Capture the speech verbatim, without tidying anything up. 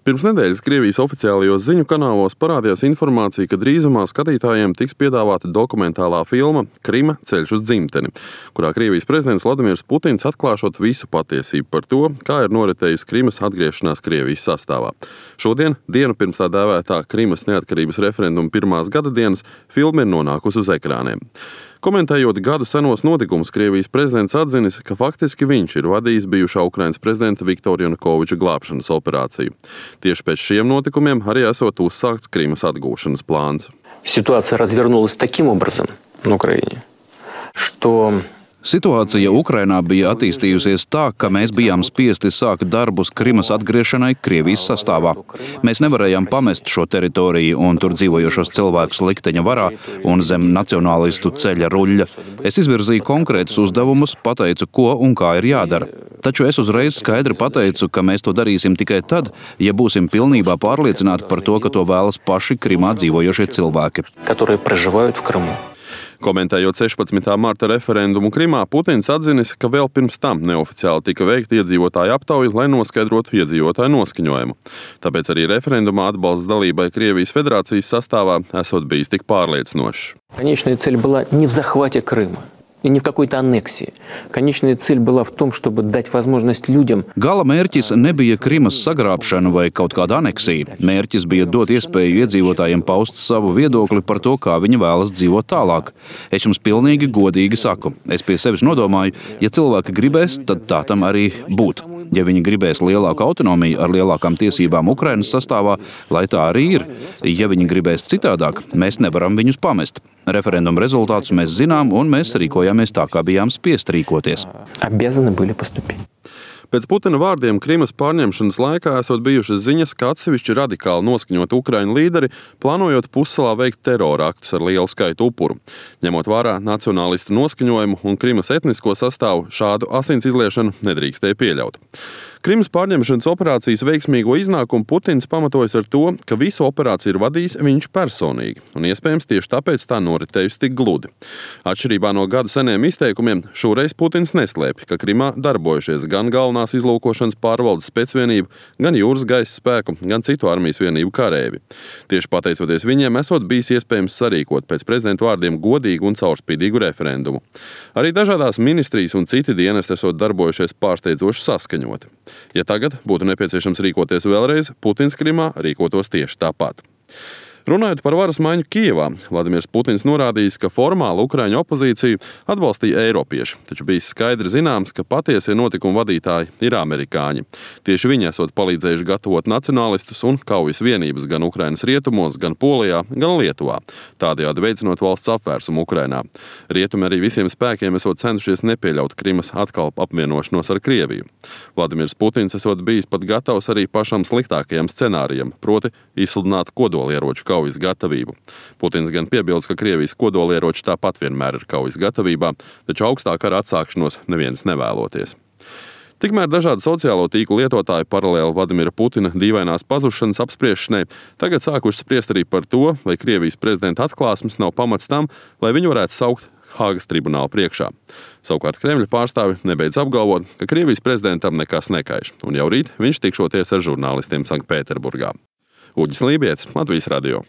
Pirms nedēļas Krievijas oficiālajos ziņu kanālos parādījās informācija, ka drīzumā skatītājiem tiks piedāvāta dokumentālā filma Krima – ceļš uz dzimteni, kurā Krievijas prezidents Vladimirs Putins atklāšot visu patiesību par to, kā ir noritējusi Krimas atgriešanās Krievijas sastāvā. Šodien, dienu pirms tā dēvētā Krimas neatkarības referenduma pirmās gada dienas, filma ir nonākusi uz ekrāniem. Komentējot gadu senos notikumus, Krievijas prezidents atzinis, ka faktiski viņš ir vadījis bijušā Ukrainas prezidenta Viktora Janukoviča glābšanas operāciju. Tieši pēc šiem notikumiem arī esot uzsākts Krimas atgūšanas plāns. Ситуация развернулась таким образом на Украине, что... Situācija Ukrainā bija attīstījusies tā, ka mēs bijām spiesti sākt darbus Krimas atgriešanai Krievijas sastāvā. Mēs nevarējām pamest šo teritoriju un tur dzīvojošos cilvēkus likteņa varā un zem nacionālistu ceļa ruļļa. Es izvirzīju konkrētus uzdevumus, pateicu, ko un kā ir jādara. Taču es uzreiz skaidri pateicu, ka mēs to darīsim tikai tad, ja būsim pilnībā pārliecināti par to, ka to vēlas paši Krimā dzīvojošie cilvēki. Которые проживают в Крыму. Komentējot sešpadsmitā marta referendumu Krimā, Putins atzinis, ka vēl pirms tam neoficiāli tika veikta iedzīvotāju aptauja, lai noskaidrotu iedzīvotāju noskaņojumu. Tāpēc arī referendumā atbalsts dalībai Krievijas federācijas sastāvā esot bijis tik pārliecinošs. Конечная цель была не в захвате Крыма и не в какой-то аннексии. Конечная цель была в том, чтобы дать возможность людям... Gala mērķis nebija Krimas sagrābšana vai kaut kāda aneksija. Mērķis bija dot iespēju iedzīvotājiem paust savu viedokli par to, kā viņi vēlas dzīvot tālāk. Es jums pilnīgi godīgi saku. Es pie sevis nodomāju, ja cilvēki gribēs, tad tā tam arī būt. Ja viņi gribēs lielāku autonomiju ar lielākām tiesībām Ukrainas sastāvā, lai tā arī ir. Ja viņi gribēs citādāk, mēs nevaram viņus pamest. Referenduma rezultātus mēs zinām, un mēs rīkojāmies tā, kā bijām spiest rīkoties. Pēc Putina vārdiem Krimas pārņemšanas laikā esot bijušas ziņas, ka atsevišķi radikāli noskaņot Ukraiņu līderi, plānojot pussalā veikt terora aktus ar lielu skaitu upuru. Ņemot vērā nacionālistu noskaņojumu un Krimas etnisko sastāvu, šādu asins izliešanu nedrīkstēja pieļaut. Krimas pārņemšanas operācijas veiksmīgo iznākumu Putins pamatojas ar to, ka visu operāciju ir vadījis viņš personīgi, un iespējams tieši tāpēc tā noritējusi tik gludi. Atšķirībā no gadu seniem izteikumiem, šoreiz Putins neslēpj, ka Krimā darbojušies gan galvenās izlūkošanas pārvaldes specvienību, gan jūras gaisa spēku, gan citu armijas vienību karēvi. Tieši pateicoties viņiem, esot bijis iespējams sarīkot pēc prezidenta vārdiem godīgu un caurspīdīgu referendumu. Arī dažādās ministrijas un citi dienesti esot darbojušies pārsteidzoši saskaņoti. Ja tagad būtu nepieciešams rīkoties vēlreiz, Putins Krimā rīkotos tieši tāpat. Runājot par varas maiņu Kijevā, Vladimirs Putins norādījis, ka formāli Ukraiņu opozīciju atbalstīja eiropieši, taču bija skaidri zināms, ka patiesie notikumu vadītāji ir amerikāņi. Tieši viņi esot palīdzējuši gatavot nacionālistus un kaujas vienības gan Ukrainas rietumos, gan Polijā, gan Lietuvā, tādējādi veicinot valsts apvērsumu Ukrainā. Rietumi arī visiem spēkiem esot cenšies nepieļaut Krimas atkal apvienošanos ar Krieviju. Vladimirs Putins esot bijis pat gatavs arī pašam sliktākajam scenārijam, proti izsludināt kodolieroču kaujas gatavību. Putins gan piebilst, ka Krievijas kodolieroči tāpat vienmēr ir kaujas gatavībā, taču augstāk ar atsākšanos neviens nevēloties. Tikmēr dažādi sociālo tīklu lietotāji paralēli Vladimira Putina dīvainās pazušanas apspriešanai tagad sākuši spriest arī par to, vai Krievijas prezidenta atklāsmes nav pamats tam, lai viņu varētu saukt Hāgas tribunāla priekšā. Savukārt Kremļa pārstāvi nebeidz apgalvot, ka Krievijas prezidentam nekas nekaiš, un jau rīt viņš tikšoties ar žurnālistiem Sanktpēterburgā. Uģis Lībietis, Latvijas radio.